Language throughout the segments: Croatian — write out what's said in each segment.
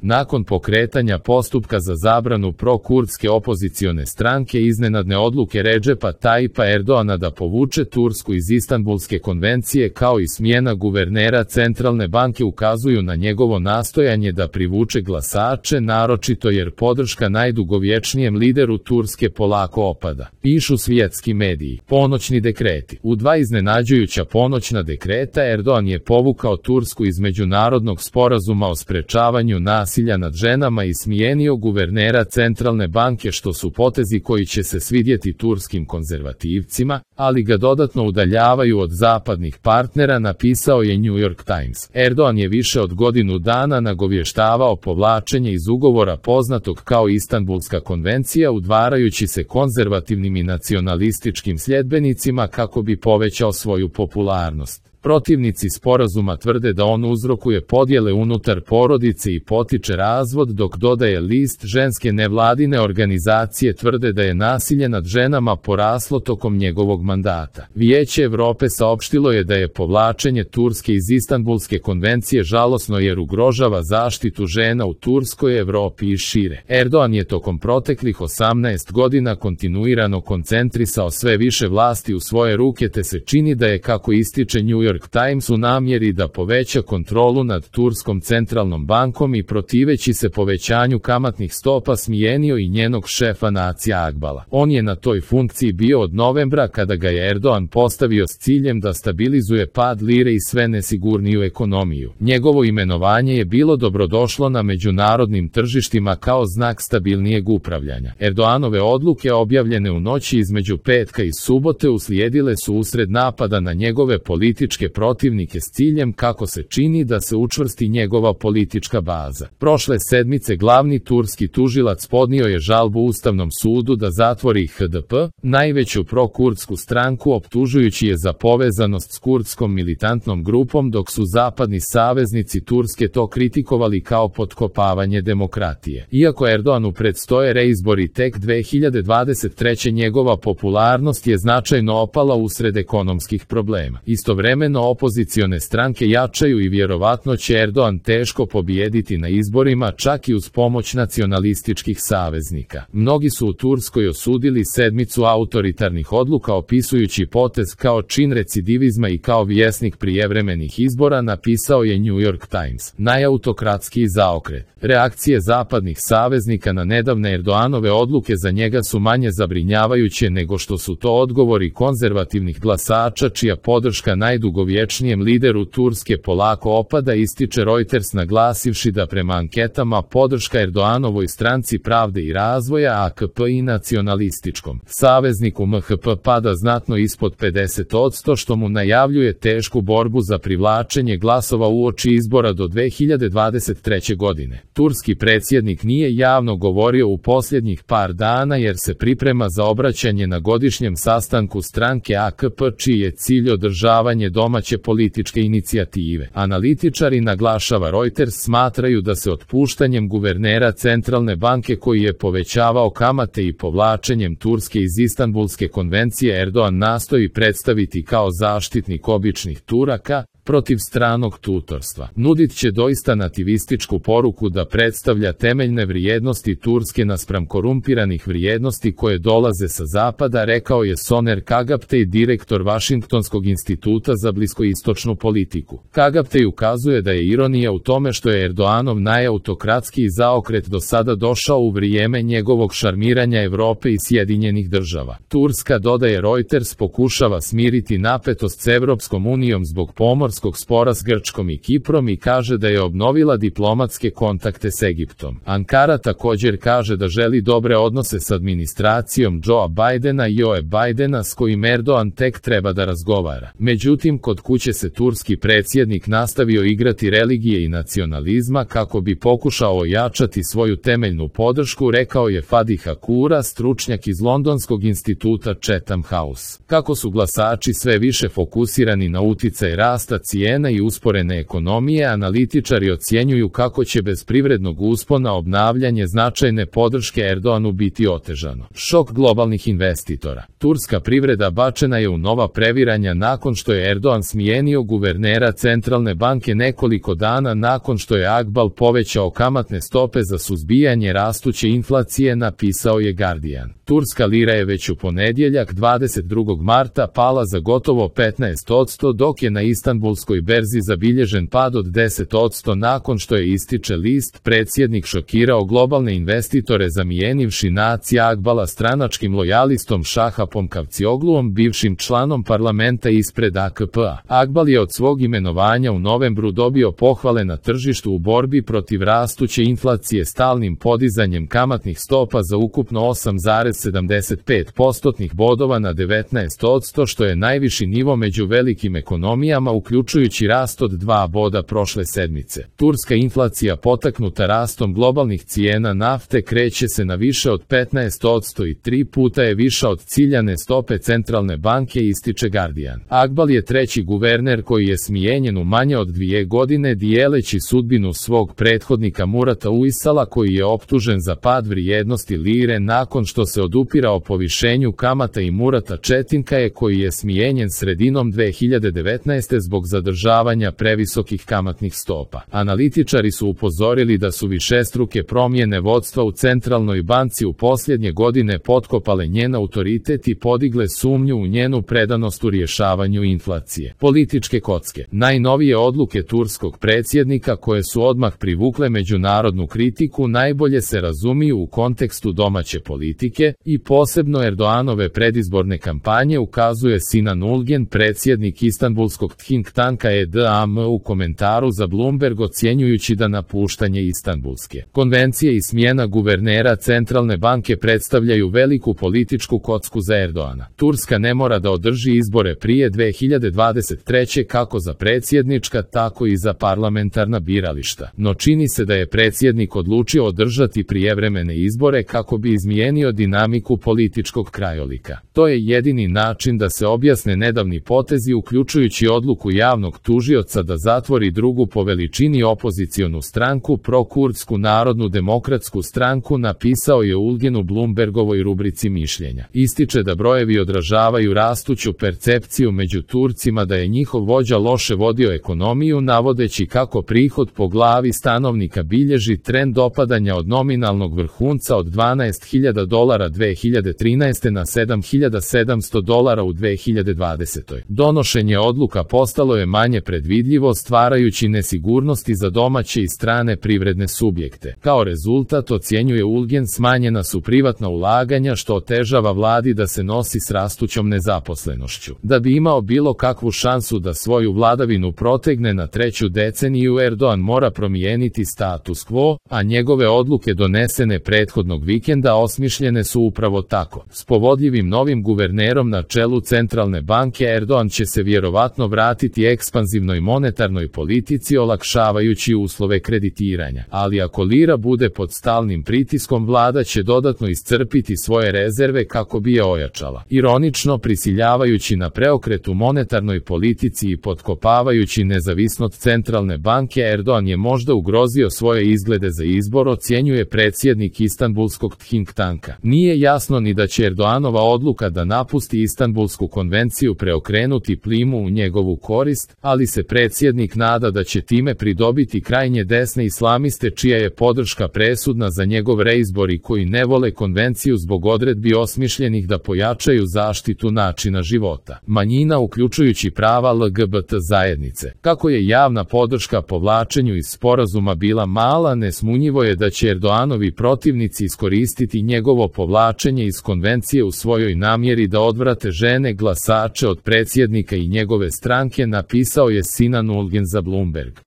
Nakon pokretanja postupka za zabranu pro-kurdske opozicione stranke iznenadne odluke Redžepa Tayyipa Erdoana da povuče Tursku iz Istanbulske konvencije kao i smjena guvernera centralne banke ukazuju na njegovo nastojanje da privuče glasače, naročito jer podrška najdugovječnijem lideru Turske polako opada. Pišu svjetski mediji. Ponoćni dekreti. U 2 iznenađujuća ponoćna dekreta Erdoan je povukao Tursku iz međunarodnog sporazuma o sprečavanju nasilja nad ženama i smijenio guvernera centralne banke, što su potezi koji će se svidjeti turskim konzervativcima, ali ga dodatno udaljavaju od zapadnih partnera, napisao je New York Times. Erdoan je više od godinu dana nagovještavao povlačenje iz ugovora poznatog kao Istanbulska konvencija, udvarajući se konzervativnim i nacionalističkim sljedbenicima kako bi povećao svoju popularnost. Protivnici sporazuma tvrde da on uzrokuje podjele unutar porodice i potiče razvod, dok dodaje list ženske nevladine organizacije tvrde da je nasilje nad ženama poraslo tokom njegovog mandata. Vijeće Europe saopštilo je da je povlačenje Turske iz Istanbulske konvencije žalosno jer ugrožava zaštitu žena u Turskoj, Europi i šire. Erdoan je tokom proteklih 18 godina kontinuirano koncentrisao sve više vlasti u svoje ruke, te se čini da je, kako ističe New York Times, u namjeri da poveća kontrolu nad Turskom centralnom bankom i protiveći se povećanju kamatnih stopa smijenio i njenog šefa Nacija Akbala. On je na toj funkciji bio od novembra, kada ga je Erdoan postavio s ciljem da stabilizuje pad lire i sve nesigurniju ekonomiju. Njegovo imenovanje je bilo dobrodošlo na međunarodnim tržištima kao znak stabilnijeg upravljanja. Erdoanove odluke, objavljene u noći između petka i subote, uslijedile su usred napada na njegove političke protivnike s ciljem, kako se čini, da se učvrsti njegova politička baza. Prošle sedmice glavni turski tužilac podnio je žalbu Ustavnom sudu da zatvori HDP, najveću pro-kurdsku stranku, optužujući je za povezanost s kurdskom militantnom grupom, dok su zapadni saveznici Turske to kritikovali kao potkopavanje demokratije. Iako Erdoanu predstoje reizbori tek 2023. njegova popularnost je značajno opala usred ekonomskih problema. Istovremeno opozicione stranke jačaju i vjerovatno će Erdoan teško pobijediti na izborima, čak i uz pomoć nacionalističkih saveznika. Mnogi su u Turskoj osudili sedmicu autoritarnih odluka, opisujući potez kao čin recidivizma i kao vjesnik prijevremenih izbora, napisao je New York Times. Najautokratski zaokret. Reakcije zapadnih saveznika na nedavne Erdoanove odluke za njega su manje zabrinjavajuće nego što su to odgovori konzervativnih glasača, čija podrška najdugovječnijem lideru Turske polako opada, ističe Reuters, naglasivši da prema anketama podrška Erdoanovoj stranci Pravde i razvoja AKP i nacionalističkom savezniku MHP pada znatno ispod 50%, što mu najavljuje tešku borbu za privlačenje glasova uoči izbora do 2023. godine. Turski predsjednik nije javno govorio u posljednjih par dana jer se priprema za obraćanje na godišnjem sastanku stranke AKP, čiji je cilj održavanje domaće političke inicijative. Analitičari, naglašava Reuters, smatraju da se otpuštanjem guvernera centralne banke, koji je povećavao kamate, i povlačenjem Turske iz Istanbulske konvencije Erdoan nastoji predstaviti kao zaštitnik običnih Turaka protiv stranog tutorstva. Nudit će doista nativističku poruku da predstavlja temeljne vrijednosti Turske naspram korumpiranih vrijednosti koje dolaze sa zapada, rekao je Soner Kagaptej, direktor Vašingtonskog instituta za bliskoistočnu politiku. Kagaptej ukazuje da je ironija u tome što je Erdoanov najautokratski zaokret do sada došao u vrijeme njegovog šarmiranja Europe i Sjedinjenih država. Turska, dodaje Reuters, pokušava smiriti napetost s Evropskom unijom zbog pomorskog spora s Grčkom i Kiprom i kaže da je obnovila diplomatske kontakte s Egiptom. Ankara također kaže da želi dobre odnose s administracijom Joea Bidena i Joe Bidena, s kojim Erdoan tek treba da razgovara. Međutim, kod kuće se turski predsjednik nastavio igrati religije i nacionalizma kako bi pokušao ojačati svoju temeljnu podršku, rekao je Fadi Hakura, stručnjak iz Londonskog instituta Chatham House. Kako su glasači sve više fokusirani na uticaj rasta cijena i usporene ekonomije, analitičari ocjenjuju kako će bez privrednog uspona obnavljanje značajne podrške Erdoanu biti otežano. Šok globalnih investitora. Turska privreda bačena je u nova previranja nakon što je Erdogan smijenio guvernera centralne banke nekoliko dana nakon što je Akbal povećao kamatne stope za suzbijanje rastuće inflacije, napisao je Guardian. Turska lira je već u ponedjeljak 22. marta pala za gotovo 15%, dok je na Istanbulskoj berzi zabilježen pad od 10% nakon što je, ističe list, predsjednik šokirao globalne investitore zamijenivši Nacija Akbala stranačkim lojalistom Šahapom Kavciogluom, bivšim članom parlamenta ispred AKP-a. Akbal je od svog imenovanja u novembru dobio pohvale na tržištu u borbi protiv rastuće inflacije stalnim podizanjem kamatnih stopa za ukupno 8,75% bodova na 19%, što je najviši nivo među velikim ekonomijama, uključujući rast od 2 boda prošle sedmice. Turska inflacija potaknuta rastom globalnih cijena nafte kreće se na više od 15% i 3 puta je viša od ciljane stope centralne banke, ističe Guardian. Akbal je treći guverner koji je smijenjen u manje od 2 godine, dijeleći sudbinu svog prethodnika Murata Uysala, koji je optužen za pad vrijednosti lire nakon što se odupirao povišenju kamata, i Murata Četinkaje, koji je smijenjen sredinom 2019. zbog zadržavanja previsokih kamatnih stopa. Analitičari su upozorili da su višestruke promjene vodstva u centralnoj banci u posljednje godine potkopale njen autoritet i podigle sumnju u njenu predanost u rješavanju inflacije. Političke kocke. Najnovije odluke turskog predsjednika, koje su odmah privukle međunarodnu kritiku, najbolje se razumiju u kontekstu domaće politike i posebno Erdoganove predizborne kampanje, ukazuje Sinan Ulgen, predsjednik istanbulskog think tanka EDAM, u komentaru za Bloomberg, ocjenjujući da napuštanje Istanbulske konvencije i smjena guvernera centralne banke predstavljaju veliku političku kocku za Erdogana. Turska ne mora da održi izbore prije 2023. kako za predsjednička, tako i za parlamentarna birališta, no čini se da je predsjednik odlučio održati prijevremene izbore kako bi izmijenio dinamiku političkog krajolika. To je jedini način da se objasne nedavni potezi, uključujući odluku javnog tužioca da zatvori drugu po veličini opozicionu stranku, prokurdsku Narodnu demokratsku stranku, napisao je Ulgen u Bloombergovoj rubrici mišljenja. Ističe da brojevi odražavaju rastuću percepciju među Turcima da je njihov vođa loše vodio ekonomiju, navodeći kako prihod po glavi stanovnika bilježi trend opadanja od nominalnog vrhunca od $12.000 2013. na $7.700 u 2020. Donošenje odluka postalo je manje predvidljivo, stvarajući nesigurnosti za domaće i strane privredne subjekte. Kao rezultat, ocjenjuje Ulgen, smanjena su privatna ulaganja, što otežava vladi da se nosi s rastućom nezaposlenošću. Da bi imao bilo kakvu šansu da svoju vladavinu protegne na treću deceniju, Erdogan mora promijeniti status quo, a njegove odluke donesene prethodnog vikenda osmišljene su upravo tako. S povodljivim novim guvernerom na čelu centralne banke, Erdogan će se vjerovatno vratiti ekspanzivnoj monetarnoj politici, olakšavajući uslove kreditiranja. Ali ako lira bude pod stalnim pritiskom, vlada će dodatno iscrpiti svoje rezerve kako bi je ojačala. Ironično, prisiljavajući na preokret u monetarnoj politici i potkopavajući nezavisnost centralne banke, Erdogan je možda ugrozio svoje izglede za izbor, ocjenjuje predsjednik istanbulskog think tanka. Nije jasno ni da će Erdoganova odluka da napusti Istanbulsku konvenciju preokrenuti plimu u njegovu korist, ali se predsjednik nada da će time pridobiti krajnje desne islamiste, čija je podrška presudna za njegov reizbor i koji ne vole konvenciju zbog odredbi osmišljenih da pojačaju zaštitu načina života manjina, uključujući prava LGBT zajednice. Kako je javna podrška povlačenju iz sporazuma bila mala, nesumnjivo je da će Erdoganovi protivnici iskoristiti njegovo povlačenje iz konvencije u svojoj namjeri da odvrate žene glasače od predsjednika i njegove stranke, napisao je Sinan Ulgen za Bloomberg.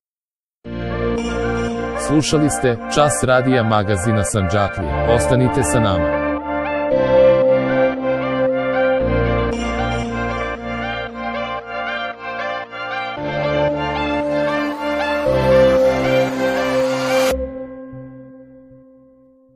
Slušali ste Čas radija magazina Sandžaklija. Ostanite sa nama.